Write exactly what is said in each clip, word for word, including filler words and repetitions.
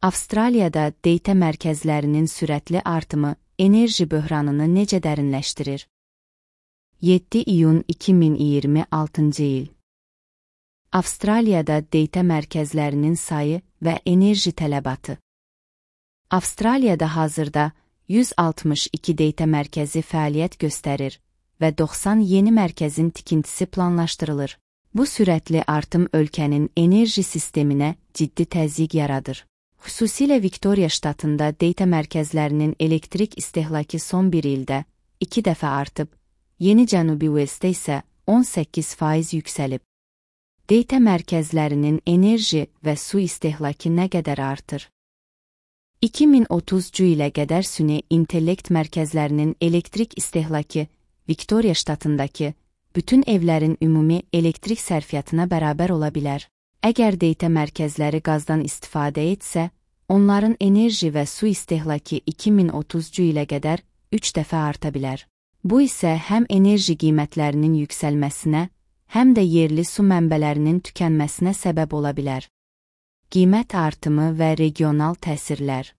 Avstraliyada deyta mərkəzlərinin sürətli artımı enerji böhranını necə dərinləşdirir? yeddi iyun iki min iyirmi altıncı il. Avstraliyada deyta mərkəzlərinin sayı və enerji tələbatı. Avstraliyada hazırda yüz altmış iki deyta mərkəzi fəaliyyət göstərir və doxsan yeni mərkəzin tikintisi planlaşdırılır. Bu sürətli artım ölkənin enerji sisteminə ciddi təzyiq yaradır. Xüsusilə Viktoriya ştatında deyta mərkəzlərinin elektrik istehlakı son bir ildə iki dəfə artıb, Yeni Cənubi Uelsdə isə on səkkiz faiz yüksəlib. Deyta mərkəzlərinin enerji və su istehlakı nə qədər artır? iki min otuzuncu ilə qədər süni intellekt mərkəzlərinin elektrik istehlakı Viktoriya ştatındakı bütün evlərin ümumi elektrik sərfiyyatına bərabər ola bilər. Əgər deyta mərkəzləri qazdan istifadə etsə, onların enerji və su istehlakı iki min otuzuncu ilə qədər üç dəfə arta bilər. Bu isə həm enerji qiymətlərinin yüksəlməsinə, həm də yerli su mənbələrinin tükənməsinə səbəb ola bilər. Qiymət artımı və regional təsirlər.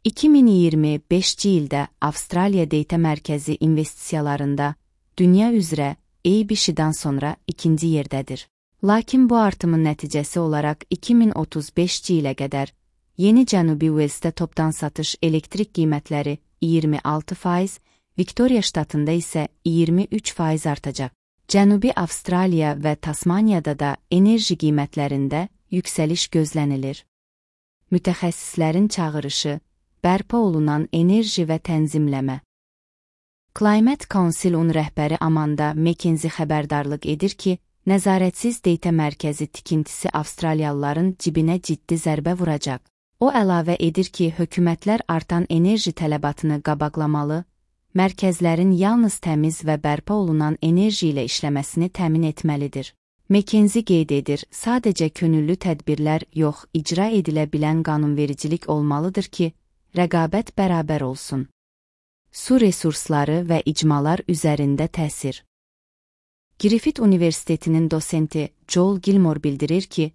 iki min iyirmi beşinci ildə Avstraliya deyta mərkəzi investisiyalarında dünya üzrə A B C-dan sonra ikinci yerdədir. Lakin bu artımın nəticəsi olaraq iki min otuz beşinci ilə qədər Yeni Cənubi Uelsdə topdan satış elektrik qiymətləri iyirmi altı faiz, Viktoriya ştatında isə iyirmi üç faiz artacaq. Cənubi Avstraliya və Tasmaniyada da enerji qiymətlərində yüksəliş gözlənilir. Mütəxəssislərin çağırışı, bərpa olunan enerji və tənzimləmə. Climate Council-un rəhbəri Amanda McKenzie xəbərdarlıq edir ki, nəzarətsiz deyta mərkəzi tikintisi Avstraliyalıların cibinə ciddi zərbə vuracaq. O əlavə edir ki, hökumətlər artan enerji tələbatını qabaqlamalı, mərkəzlərin yalnız təmiz və bərpa olunan enerji ilə işləməsini təmin etməlidir. McKenzie qeyd edir, sadəcə könüllü tədbirlər yox, icra edilə bilən qanunvericilik olmalıdır ki, rəqabət bərabər olsun. Su resursları və icmalar üzərində təsir. Griffith Universitetinin dosenti Joel Gilmore bildirir ki,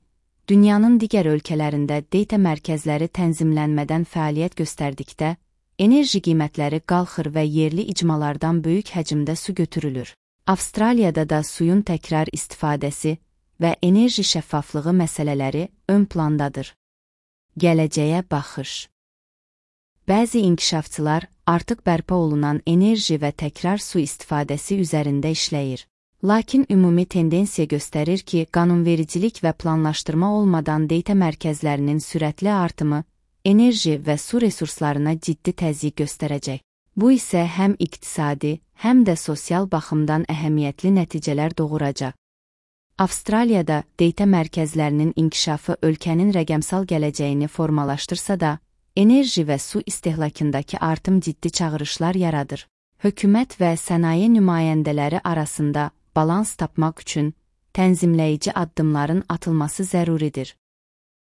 dünyanın digər ölkələrində deyta mərkəzləri tənzimlənmədən fəaliyyət göstərdikdə, enerji qiymətləri qalxır və yerli icmalardan böyük həcmdə su götürülür. Avstraliyada da suyun təkrar istifadəsi və enerji şəffaflığı məsələləri ön plandadır. Gələcəyə baxış. Bəzi inkişafçılar artıq bərpa olunan enerji və təkrar su istifadəsi üzərində işləyir. Lakin ümumi tendensiya göstərir ki, qanunvericilik və planlaşdırma olmadan deyta mərkəzlərinin sürətli artımı enerji və su resurslarına ciddi təzyiq göstərəcək. Bu isə həm iqtisadi, həm də sosial baxımdan əhəmiyyətli nəticələr doğuracaq. Avstraliyada deyta mərkəzlərinin inkişafı ölkənin rəqəmsal gələcəyini formalaşdırsa da, enerji və su istehlakındakı artım ciddi çağırışlar yaradır. Hökumət və sənaye nümayəndələri arasında balans tapmaq üçün tənzimləyici addımların atılması zəruridir.